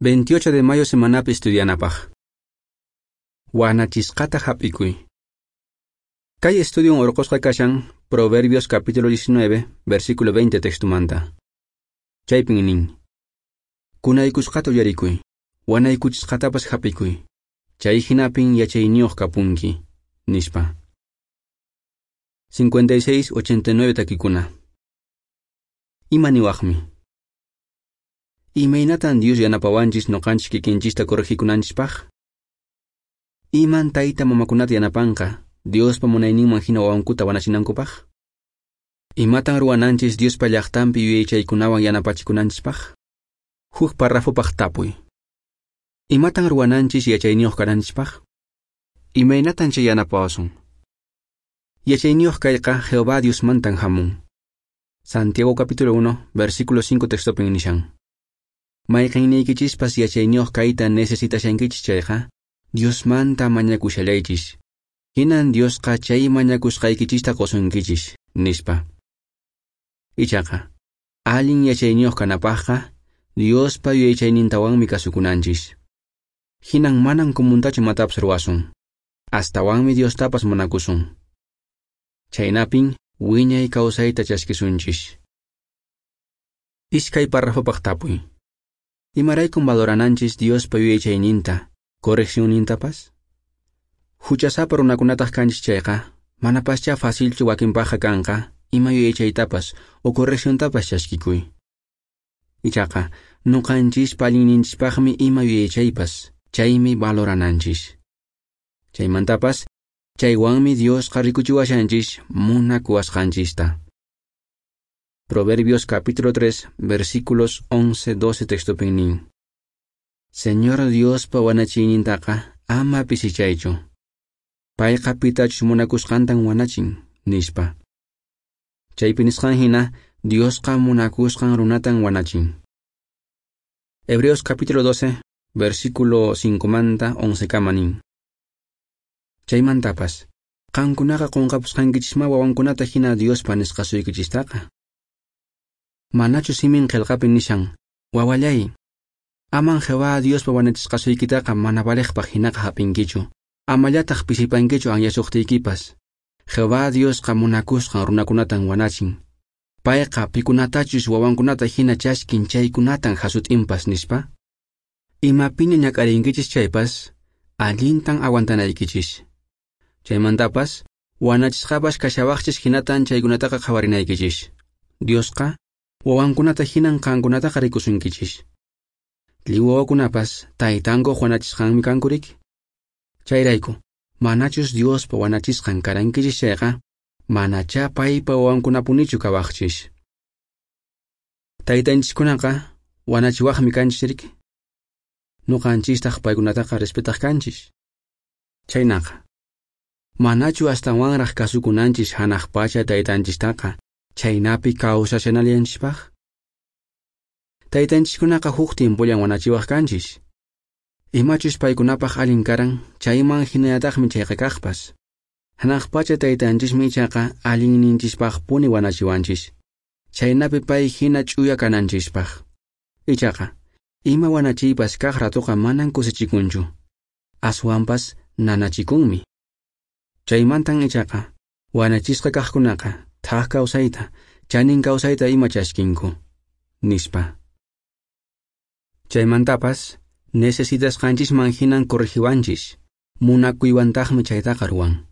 28 de mayo semanapi estudianapaq. Wanachisqata hap'ikuy. Kay estudion urqusqa kashan Proverbios capítulo 19, versículo 20 textumanta. Chaypin nin: Kunaykusqata uyarikuy, wanaykuchisqatapas hap'ikuy. Chay hinapin yachayniyuq kapunki, nispa. 56-89 takikuna. Ima niwaqmi? Imaynatan Dios yanapawanchis noqanchis kikinchista corregikunanchispaq? Iman tayta mamakunata yanapanqa Diospa munayninman hina wawankuta wanachinankupaq? Imatan ruwananchis Diospa llaqtanpi yuyaychaykunawan yanapachikunanchispaq? Huk parrafopaq tapuy. Imatan ruwananchis yachayniyuq kananchispaq? Imaynatan chay yanapawasun? Yachayniyuq kayqa Jehová Diosmantan hamun. Santiago capítulo 1, versículo 5 textopin nishan. Mayqinniykichispas yachayniyuq kayta necesitashankichis chayqa, Diosmanta mañakushallaychis. Hinan Diosqa chay mañakusqaykichista qusunkichis, nispa. Ichaqa, allin yachayniyuq kanapaqqa, Diospa yuyaychaynintawanmi kasukunanchis. Hinan manan comuntachu imatapas ruwasun. Astawanmi Diostapas munakusun. Chaynapin wiñay kawsayta chaskisunchis. Iskay parrafopaq tapuy. Imaraykun valorananchis Diospa yuyaychayninta, correccionnintapas? Huchasapa runakunataq kanchis chayqa, manapaschá facilchu wakinpaqqa kanqa ima yuyaychaytapas o correcciontapas chaskikuy. Ichaqa, nuqanchispa allinninchispaqmi ima yuyaychaypas, chaymi valorananchis. Chaymantapas, chaywanmi Diosqa rikuchiwashanchis munakuwasqanchista. Proverbios capítulo 3, versículos 11-12 textopin nin. Señor Diospa wanachiynintaqa ama pisichaychu. Payqa pitachus munakusqantan wanachin, nispa. Chaypi nisqan hina, Diosqa munakusqan runatan wanachin. Hebreos capítulo 12, versículo 5 manta 11 kama nin. Chaymantapas, qankunaqa qunqapusqankichisma wawankunata hina Diospa nisqasuykichistaqa. Manachu simin qillqapi nishan, wawallay, aman Jehová Diospa wanachisqasuykitaqa mana valeqpaq hinaqa hap'inkichu, amallataq pisipankichu anyasuqtiykipas. Jehová Diosqa munakusqan runakunatan wanachin. Payqa pikunatachus wawankunata hina chaskin chaykunatan hasut'inpas, nispa. Imapiña ñak'arinkichis chaypas, allintan aguantanaykichis. Chaymantapas, wanachisqapas kashawaqchis hinatan chaykunataqa qhawarinaykichis. Diosqa wawankunata hinan qankunataqa rikusunkichis. Lliw wawakunapas taytankuq wanachisqanmi kanku riki. Chayrayku, manachus Diospa wanachisqan karankichis chayqa, manachá paypa wawankunapunichu kawaqchis. Taytanchiskunaqa wanachiwaqmi kanchis riki. Nuqanchistaq paykunataqa respetaq kanchis. Chaynaqa, manachu astawanraq kasukunanchis hanaq pacha taytanchistaqa, chaynapi kawsashanallanchispaq? Taytanchiskunaqa huk tiempollan wanachiwaq kanchis. Imachus paykunapaq allin karan, chayman hinallataqmi chayqa kaqpas. Hanaq pacha taytanchismi ichaqa allinninchispaqpuni wanachiwanchis. Chaynapi pay hina ch'uya kananchispaq. Ichaqa, ima wanachiypas kaq ratuqa manan kusichikunchu. Aswanpas nanachikunmi. Chaymantan ichaqa, wanachisqa kaqkunaqa thak kawsayta, chanin kawsayta ima chaskinku, nispa. Chaymantapas, necesitasqanchisman hinan corregiwanchis, munakuywantaqmi chaytaqa ruwan.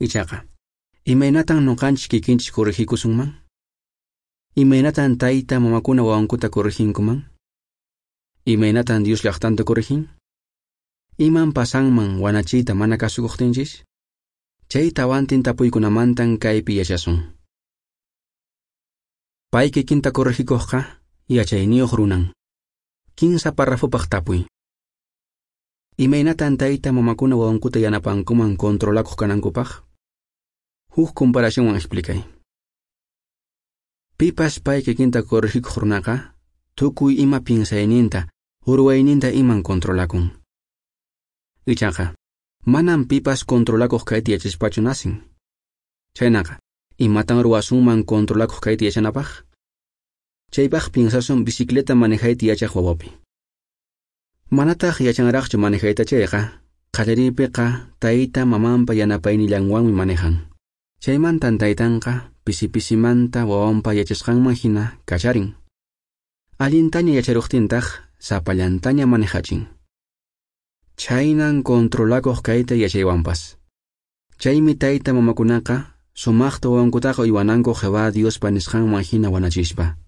Ichaqa, imaynatan nuqanchis kikinchis corregikusunman? Imaynatan tayta mamakuna wawankuta correginkuman? Imaynatan Dios llaqtanta corregin? Iman pasanman wanachiyta mana kasukuqtinchis? Chay tawantin tapuykunamantan kaypi yachasun. Pay kikinta corregikuqqa yachayniyuq runan. Kinsa parrafopaq tapuy. Imaynatan tayta mamakuna wawankuta yanapankuman controlakuq kanankupaq? Huk comparacionwan explicay. Pipas pay kikinta corregikuq runaqa, tukuy ima piensayninta, ruwayninta iman controlakun. Ichaqa, manan pipas controlakuq kayta yachaspachu nacen. Chaynaqa, imatan ruwasunman controlakuq kayta yachanapaq? Chaypaq piensasun bicicleta manejayta yachaq wawapi. Manataq yachanraqchu manejayta chayqa, qallariypiqa tayta mamanpa yanapaynillanwanmi manejan. Chaymantan taytanqa pisi-pisimanta wawanpa yachasqanman hina kacharin. Allintaña yacharuqtintaq sapallantaña manejachin. Chhaynan controlakuq kayta yachaywanpas. Chaymi tayta mamakunaqa sumaqta wawankutaqa uywananku Jehová Diospa nisqanman hina wanachispa.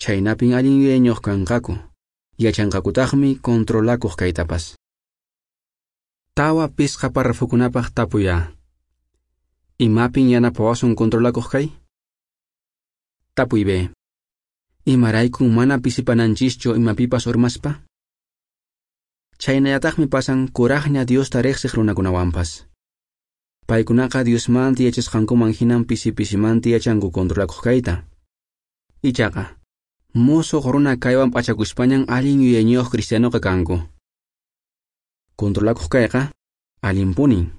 Chhaynapin allin yuyayniyuq kanqaku, yachanqakutaqmi controlakuq kaytapas. 4-5 párrafokunapaq tapuy A. Imapin yanapawasun controlakuq kay? Tapuy B. Imaraykun mana pisipananchischu imapipas urmaspa? Chhaynallataqmi pasan kuraqña Diosta riqsiq runakunawanpas. Paykunaqa Diosmanta yachasqankuman hinan pisi-pisimanta yachanku controlakuq kayta. Ichaqa, musuq runa kaywan p'achakuspañan allin yuyayniyuq cristianoqa kanku. Controlakuq kayqa allinpunin.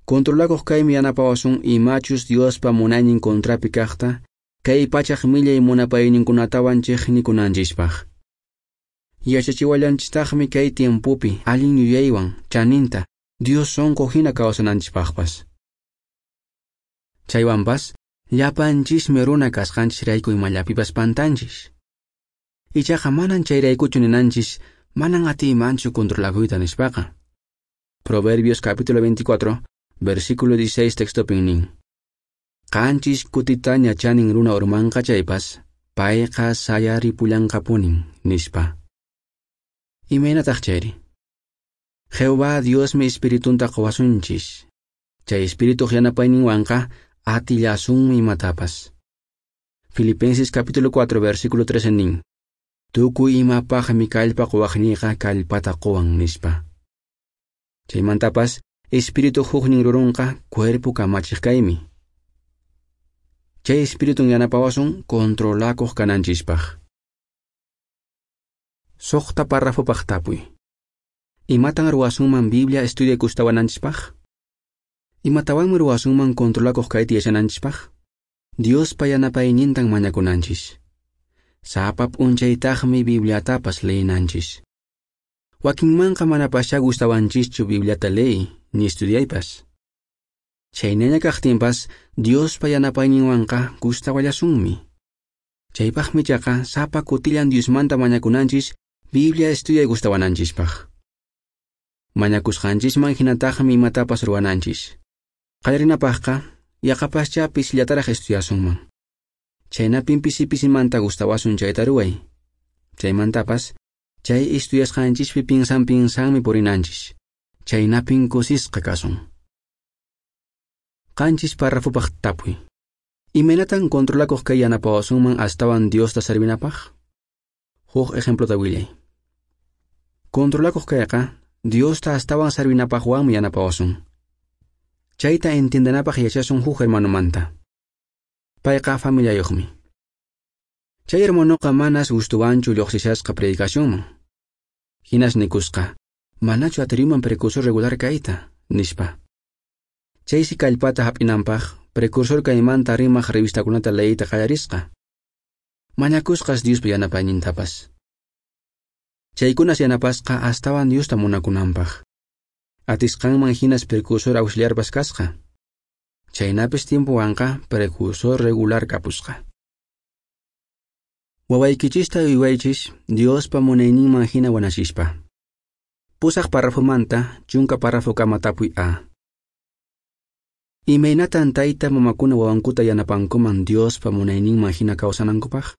Controlakuq kaymi yanapawasun imachus Diospa munaynin contrapi kaqta, kay pachaq millay munapayninkunatawan chiqnikunanchispaq. Yachachiwallanchistaqmi kay tiempopi allin yuyaywan chaninta Dios sonqo hina kawsananchispaqpas. Chaywanpas, llapanchismi runa kasqanchisrayku imallapipas pantanchis. Ichaqa manan chayraykuchu ninanchis, manan atiymanchu controlakuyta nispaqa. Proverbios capítulo 24, versículo 16 textopin nin. Qanchis kutitaña chanin runa urmanqa chaypas, payqa sayaripullanqapunin, nispa. Imaynataq chayri? Jehová Diosmi espiritunta qowasunchis. Chay espirituq yanapayninwanqa atillasunmi imatapas. Filipenses capítulo 4, versículo 13 nin. Tukuy imapaqmi kallpa quwaqniyqa kallpata quwan, nispa. Chaymantapas, espíritu huknin rurunqa cuerpo kamachiq kaymi. Chay espiritun yanapawasun controlakuq kananchispaq. 6 párrafopaq tapuy. Imatan ruwasunman Biblia estudiay gustawananchispaq? Imatawanmi ruwasunman controlakuq kayta yachananchispaq? Diospa yanapaynintan mañakunanchis. Sapa p'unchaytaqmi Bibliatapas leyinanchis. Wakinmanqa manapaschá gustawanchischu Bibliata leey ni estudiaypas. Chhaynaña kaqtinpas Diospa yanapayninwanqa gustawallasunmi. Chaypaqmi ichaqa sapa kutillan Diosmanta mañakunanchis Biblia estudiay gustawananchispaq. Mañakusqanchisman hinataqmi imatapas ruwananchis. Qallarinapaqqa yaqapaschá pisillataraq estudiasunman. Chhaynapin pisi-pisimanta gustawasun chayta ruway. Chaymantapas, chay estudiasqanchispi pinsan-pinsanmi purinanchis. Chhaynapin kusisqa kasun. 7 párrafopaq tapuy. Imaynatan controlakuq kay yanapawasunman astawan Diosta servinapaq? Huk ejemplota willay. Controlakuq kayqa Diosta astawan servinapaqwanmi yanapawasun. Chayta entiendenapaq yachasun huk hermanomanta. Payqa familiayuqmi. Chay hermanoqa manas gustuwanchu lluqsishasqa predicacionman. Hinas nikusqa, manachu atiriman precursor regular kayta, nispa. Chaysi kallpata hap'inanpaq precursor kaymanta rimaq revistakunata leyiyta qallarisqa. Mañakusqas Diospa yanapaynintapas. Chaykunas yanapasqa astawan Diosta munakunanpaq. Atisqanman hinas precursor auxiliarpas kasqa. Chaynapis tiempowanqa precursor regular kapusqa. Wawaykichista uywaychis Diospa munayninman hina wanachispa. 8 párrafomanta 10 párrafokama tapuy A. Imaynatan tayta mamakuna wawankuta yanapankuman Diospa munayninman hina kawsanankupaq?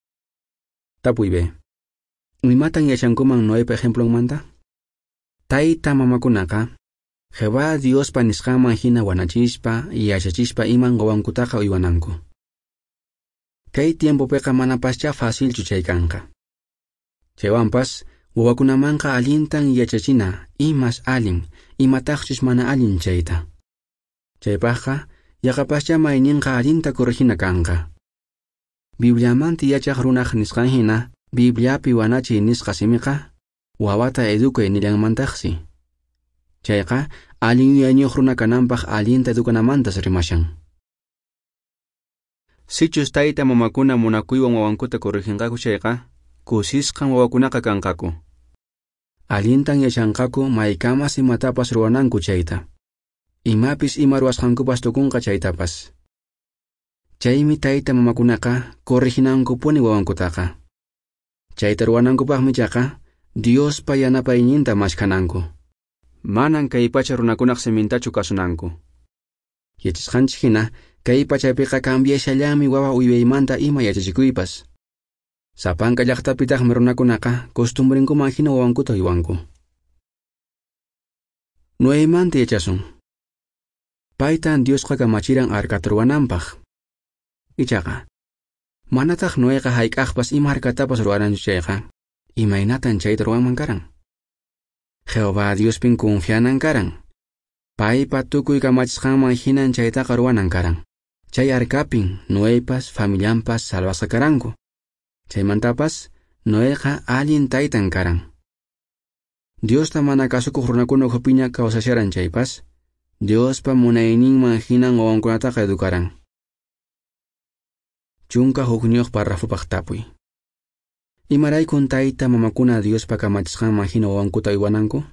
Tapuy B. Imatan yachankuman Noepa ejemplonmanta? Tayta mamakunaqa Jehová Diospa nisqanman hina wanachispa, yachachispa iman wawankutaqa uywananku. Kay tiempopiqa manapaschá facilchu chay kanqa. Chaywanpas, wawakunamanqa allintan yachachina imas allin, imataqchus mana allin chayta. Chaypaqqa, yaqapaschá mayninqa allinta corregina kanqa. Bibliamanta yachaq runaq nisqan hina, Bibliapi wanachiy nisqa simiqa, wawata educay nillanmantaqsi. Chayqa, allin yuyayniyuq runa kananpaq allinta educanamantas rimashan. Sichus tayta mamakuna munakuywan wawankuta correginqaku chayqa, kusisqan wawakunaqa kanqaku. Allintan yachanqaku maykamas imatapas ruwananku chayta. Imapis ima ruwasqankupas tukunqa chaytapas. Chaymi tayta mamakunaqa correginankupuni wawankutaqa. Chayta ruwanankupaqmi chaqa Diospa yanapayninta mashkhananku. Manan kay pacha runakunaq simintachu kasunanku. Yachasqanchik hina kay pachapiqa cambiashallanmi wawa uywaymanta ima yachachikuypas. Sapanka llaqtapitaqmi runakunaqa costumbrinkuman hina wawankuta uywanku. Noemanta yachasun. Paytan Diosqa kamachiran arcata ruwananpaq. Ichaqa, manataq Noeqa hayk'aqpas ima arcatapas ruwaranchu chayqa, imaynatan chayta ruwanman karan? Jehová Diospin confianan karan. Paypa tukuy kamachisqanman hinan chaytaqa ruwanan karan. Chay arcapin Noepas familianpas salvasqa karanku. Chaymantapas Noeqa allin taytan karan. Diosta mana kasukuq runakuna ukhupiña kawsasharan chaypas, Diospa munayninman hinan wawankunataqa educaran. 11 párrafopaq tapuy. Imaraykun tayta mamakuna Diospa kamachisqanman hina wawankuta uywananku?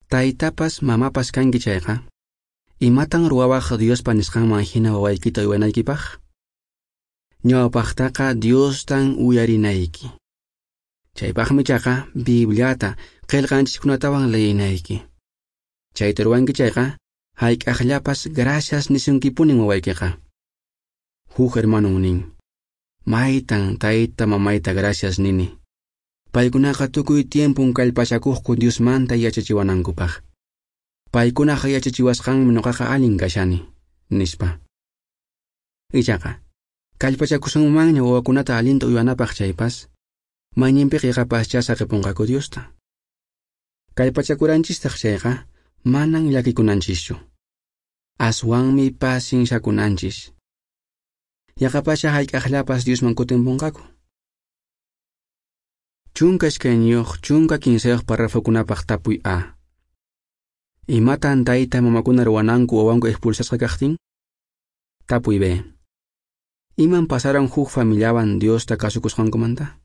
Taytapas mamapas kanki chayqa, imatan ruwawaq Diospa nisqanman hina wawaykita uywanaykipaq? Ñawpaqtaqa Diostan uyarinayki. Chaypaqmi chaqa Bibliata qillqanchiskunatawan leyinayki. Chayta ruwanki chayqa, hayk'aqllapas gracias nisunkipunin wawaykiqa. Huk hermanon nin, maytan tayta mamayta gracias nini. Paykunaqa tukuy tiempun kallpachakuqku Diosmanta yachachiwanankupaq. Paykunaqa yachachiwasqanmi ñuqaqa allin kashani, nispa. Ichaqa, kallpachakusunmanña wawakunata allinta uywanapaq chaypas, mayninpiqa yaqapaschá saqipunqaku Diosta. Kallpachakuranchistaq chayqa, manan llakikunanchischu. Aswanmi pacienciakunanchis. Yaqapascha hayk'aqllapas Diosman kutimpunqaku. 12 13 párrafokunapaq tapuy A. Imatan tayta mamakuna ruwananku wawanku expulsasqa kaqtin? Tapuy B. Iman pasaran huk familiawan Diosta kasukusqankumanta?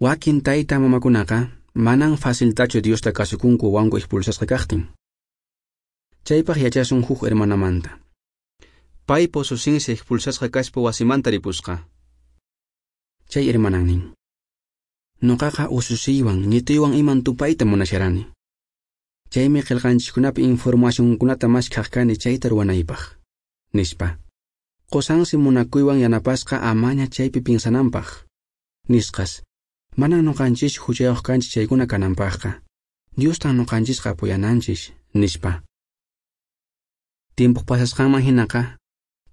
Wakin tayta mamakunaqa manan faciltachu Diosta kasukunku wawanku expulsasqa kaqtin. Chaypaq yachasun huk hermanamanta. Paypa ususinsi expulsasqa kaspa wasimanta ripusqa. Chay hermanan nin, Noqaqa ususiywan ñituywan iman tupayta munasharani. Chaymi qillqanchiskunapi informacionkunata maskhaq kani chayta ruwanaypaq, nispa. Qusansi munakuywan yanapasqa amaña chaypi pinsananpaq. Nisqas, manan ñuqanchis huchayuq kanchis chaykuna kananpaqqa. Diostan ñuqanchisqa apoyananchis, nispa. Tiempoq pasasqanman hinaqa,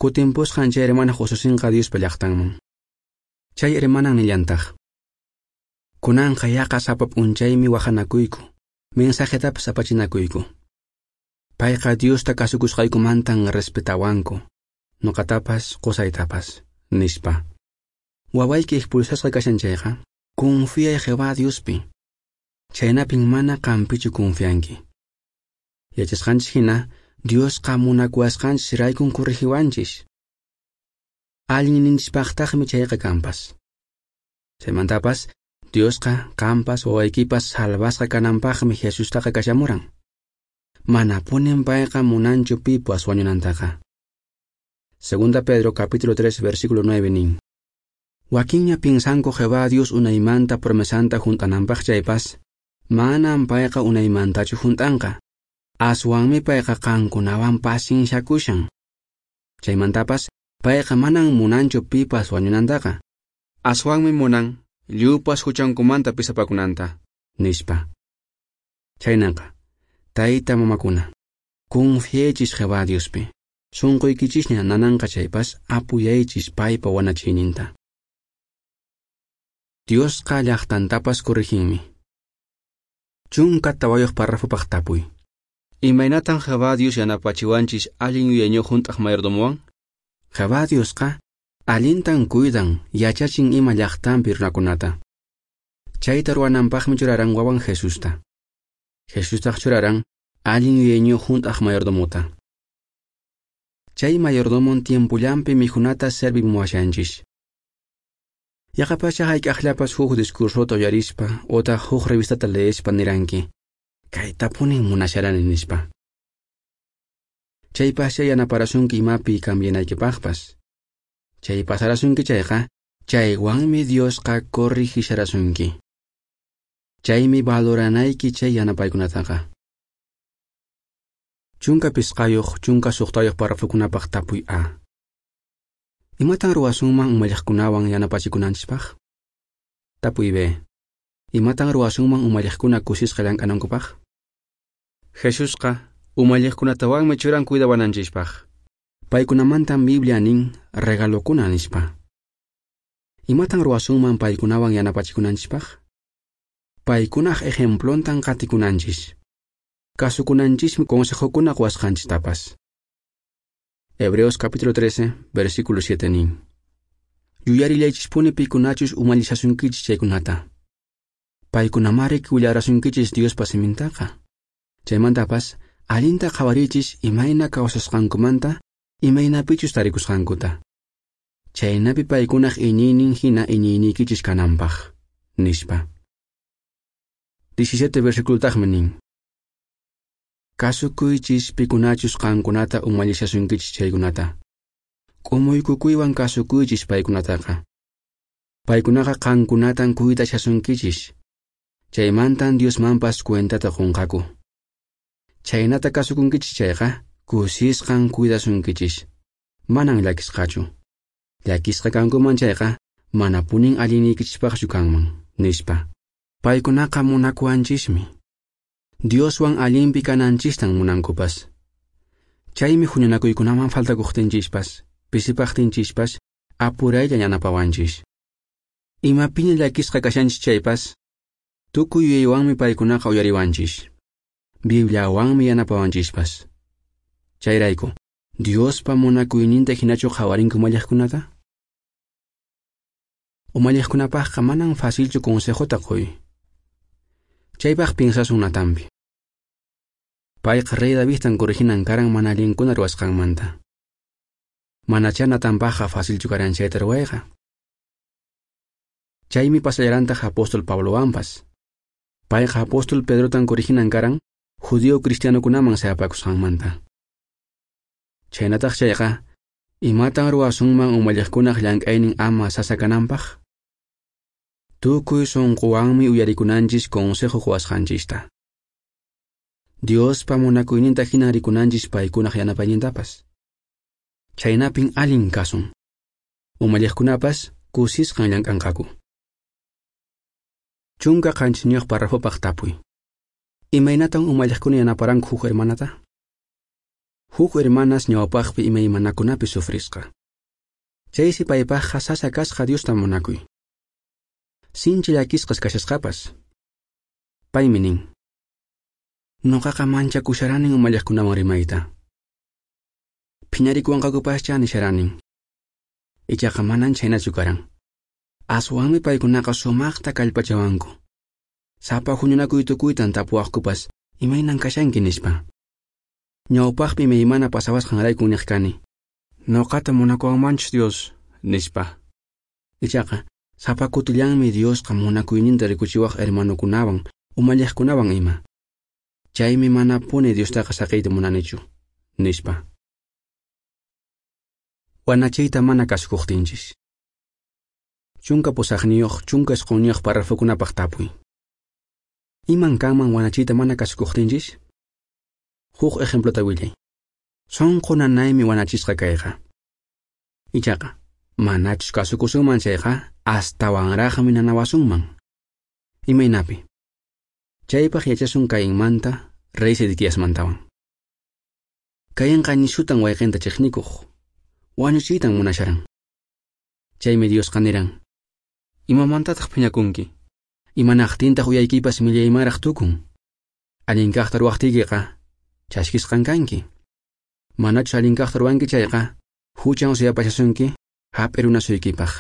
kutimpusqan chay hermanaq ususinqa Diospa llaqtanman. Chay hermanan nillantaq, kunanqa yaqa sapa p'unchaymi wahanakuyku, mensajetapas apachinakuyku. Payqa Diosta kasukusqaykumantan respetawanku, ñuqatapas qusaytapas, nispa. Wawayki expulsasqa kashan chayqa, confiay Jehová Diospi. Chaynapin mana qampichu confianki. Yachasqanchis hina, Diosqa munakuwasqanchis raykun corregiwanchis. Allinninchispaqtaqmi chayqa kanpas. Chaymantapas, Diosqa qampas wawaykipas salvasqa kananpaqmi Jesustaqa kashamuran. Manapunin payqa munanchu pipas wañunantaqa. 2 Pedro capítulo 3 versículo 9 nin. Wakinña pinsanku Jehová Dios unaymanta promesanta hunt'ananpaq chaypas, manan payqa unaymantachu hunt'anqa. Aswanmi payqa qankunawan pacienciakushan. Chaymantapas, payqa manan munanchu pipas wañunantaqa. Aswanmi munan lliwpas huchankumanta pisapakunanta, nispa. Chaynaqa, tayta mamakuna, confiaychis Jehová Diospi. Sunquykichisña nananqa chaypas apuyaychis paypa wanachiyninta. Diosqa llaqtantapas corriginmi. 14 párrafopaq tapuy. Imaynatan Jehová Dios yanapachiwanchis allin yuyayniyuq hunt'aq mayordomowan? Jehová Diosqa allintan cuidan yachachin ima llaqtanpi runakunata. Chayta ruwananpaqmi churaran wawan Jesusta. Jesustaq churaran allin yuyayniyuq hunt'aq mayordomota. Chay mayordomon tiempullanpi mikhunata servimuwashanchis. Yaqapaschá hayk'aqllapas huk discursota uyarispa otaq huk revistata leespa niranki, kaytapunin munasharani nispa. Chaypaschá yanaparasunki imapi cambianaykipaqpas. Chay pasarasunki chayqa, chaywanmi Diosqa corregisharasunki. Chaymi valoranayki chay yanapaykunataqa. 15 16 párrafokunapaq tapuy A. Imatan ruwasunman umalliqkunawan yanapachikunanchispaq? Tapuy B. Imatan ruwasunman umalliqkuna kusisqa llank'anankupaq? Jesusqa umalliqkunatawanmi churan cuidawananchispaq. Paykunamantan Biblia nin regalokuna nispa. Imatan ruwasunman paykunawan yanapachikunanchispaq? Paykunaq ejemplontan qatikunanchis. Kasukunanchismi consejokuna quwasqanchistapas. Hebreos capítulo 13, versículo 7 nin. Yuyarillaychispuni pikunachus umallishasunkichis chaykunata. Paykunamari willarasunkichis Diospa simintaqa. Chaymantapas allinta qhawarichis imayna kawsasqankumanta, imaynapichus tarikusqankuta. Chaynapi paykunaq iñiynin hina iñiyniykichis kananpaq, nispa. 17 versículotaqmi nin. Kasukuychis pikunachus qankunata umallishasunkichis chaykunata. K'umuykukuywan kasukuychis paykunataqa. Paykunaqa qankunatan cuidashasunkichis. Chaymantan Diosmanpas cuentata qunqaku. Chaynata kasukunkichis chayqa, kusisqan cuidasunkichis. Manan llakisqachu. Llakisqa kankuman chayqa, manapunin allinniykichispaqchu kanman, nispa. Paykunaqa munakuwanchismi. Dioswan allinpi kananchistan munankupas. Chaymi huñunakuykunaman faltakuqtinchispas, pisipaqtinchispas, apuraylla yanapawanchis. Imapiña llakisqa kashanchis chaypas, tukuy yuyaywanmi paykunaqa uyariwanchis. Bibliawanmi yanapawanchispas. Chayrayku, Diospa munakuyninta hinachu qhawarinku umalliqkunata? Umalliqkunapaqqa manan facilchu consejota quy. Chaypaq piensasun Natanpi. Payqa rey Davidtan corriginan karan mana allinkuna ruwasqanmanta. Manachá Natanpaqqa facilchu karan chayta ruwayqa. Chaymi pasallarantaq apóstol Pablowanpas. Payqa apóstol Pedrotan corriginan karan judío cristianokunaman sayapakusqanmanta. Chaynataq chayqa, imatan ruwasunman umalliqkunaq llank'aynin ama sasa kananpaq? Tukuy sunquwanmi uyarikunanchis consejo quwasqanchista. Diospa munakuyninta hinan rikunanchis paykunaq yanapaynintapas. Chaynapin allin kasun. Umalliqkunapas kusisqan llank'anqaku. 17 párrafopaq tapuy. Imaynatan umalliqkuna yanaparanku huk hermanata? Huk hermanas ñawpaqpi imaymanakunapi sufrisqa. Chaysi paypaqqa sasa kasqa Diosta munakuy. Sinchi llakisqas kashasqapas. Paymi nin. Noqaqa manchakusharanin umalliqkunawan rimayta. Phiñarikuwanqakupascha nisharanin. Ichaqa manan chhaynachu karan. Aswanmi paykunaqa sumaqta kallpachawanku. Sapa huñunakuy tukuytan tapuwaqkupas imaynan kashanki nispa. Ñawpaqpi imaymana pasawasqanraykun niq kani. Noqata munakuwanmanchus Dios, nispa. Ichaqa sapa kutillanmi Diosqa munakuyninta rikuchiwaq hermanokunawan, umalliqkunawan ima. Chaymi manapuni Diostaqa saqiyta munanichu, nispa. Wanachiyta mana kasukuqtinchis. 18 19 párrafokunapaq tapuy. Iman kanman wanachiyta mana kasukuqtinchis? Huk ejemplota willay. Sunqu nanaymi wanachisqa kayqa. Ichaqa, manachus kasukusunman chayqa, astawanraqmi nanawasunman. Imaynapi? Chaypaq yachasun Cainmanta, rey Sedequiasmantawan. Cainqa nishutan wayqinta chiqnikuq, wañuchiytan munasharan. Chaymi Diosqa niran, imamantataq phiñakunki? Imanaqtintaq uyaykipas millaymanraq tukun? Allin kaqta ruwaqtiykiqa, chaskisqan kanki. Manachus allin kaqta ruwanki chayqa, huchan suyapashasunki, hap'irunasuykipaq.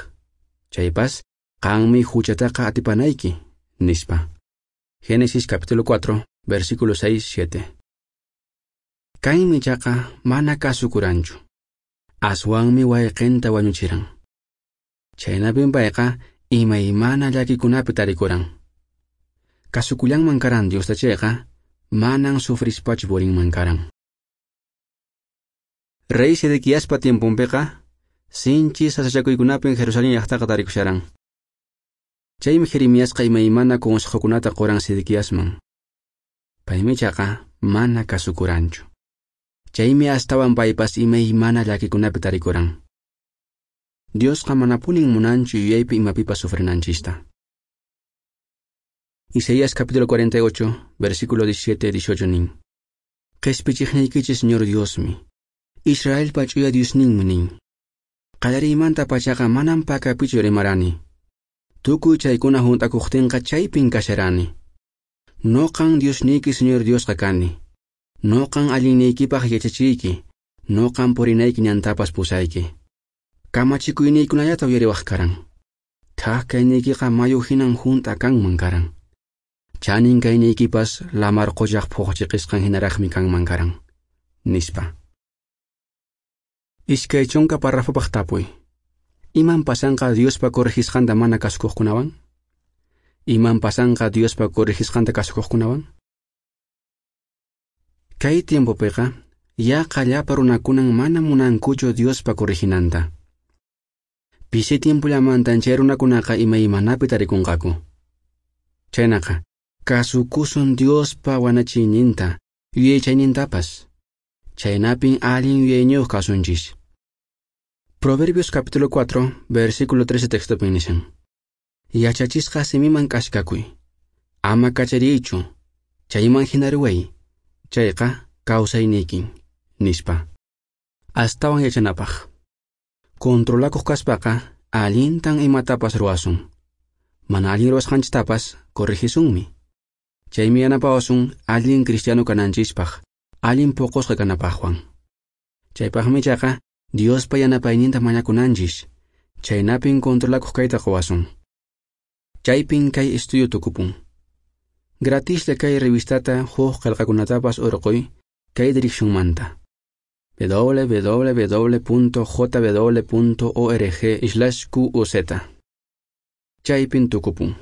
Chaypas, qanmi huchataqa atipanayki, nispa. Génesis capítulo 4, versículo 6-7. Cainmi ichaqa mana kasukuranchu. Aswanmi wayqinta wañuchiran. Chaynapin payqa imaymana llakikunapi tarikuran. Kasukullanman karan Diosta chayqa, manan sufrispachu purinman karan. Rey Sedequiaspa tiemponpiqa, sinchi sasachakuykunapin Jerusalén llaqtaqa tarikusharan. Chaymi Jeremiasqa imaymana consejokunata quran Sedequiasman. Paymi ichaqa mana kasukuranchu. Chaymi astawan paypas imaymana llakikunapi tarikuran. Diosqa manapunin munanchu yuyaypi imapipas sufrinanchista. Isaías capítulo 48, versículo 17-18 nin. Qespichiqniykichis Señor Diosmi, Israelpa ch'uya Diosninmi nin. Qallariymanta pachaqa manan pakapichu rimarani. Tukuy chaykuna hunt'akuqtinqa chaypin kasharani. Noqan Diosniyki Señor Diosqa kani. Noqan allinniykipaq yachachiyki. Noqan purinayki ñantapas pusayki. Kamachikuyniykunallata uyariwaq karan. Thak kayniykiqa mayu hinan hunt'a kanman karan. Chanin kayniykipas lamar quchaq phuqchiqisqan hinaraqmi kanman karan. Nispa. 20 párrafopaq tapuy. Iman pasanqa Diospa corregisqanta mana kasukuqkunawan? Iman pasanqa Diospa corregisqanta kasukuqkunawan? Kay tiempopiqa yaqa llapa runakunan mana munankuchu Diospa correginanta. Pisi tiempollamantan chay runakunaqa imaymanapi tarikunqaku. Chaynaqa, kasukusun Diospa wanachiyninta, yuyaychaynintapas. Chaynapin allin yuyayniyuq kasunchis. Proverbios capítulo 4, versículo 13 textopin nishan. Yachachisqa simiman k'askakuy. Ama kachariychu, chayman hina ruway. Chayqa kawsayniykin, nispa. Astawan yachanapaq. Controlakuq kaspaqa allintan imatapas ruwasun. Mana allin ruwasqanchistapas corregisunmi. Chaymi yanapawasun allin cristiano kananchispaq, allin poqosqa kanapaqwan. Chaypaqmi ichaqa Diospa yanapayninta mañakunanchis, chaynapin controlakuq kayta quwasun. Chaypin kay estudio tukupun. Gratislla kay revistata huk qillqakunatapas urquy kay direccionmanta: www.jw.org/quz. Chaypin tukupun.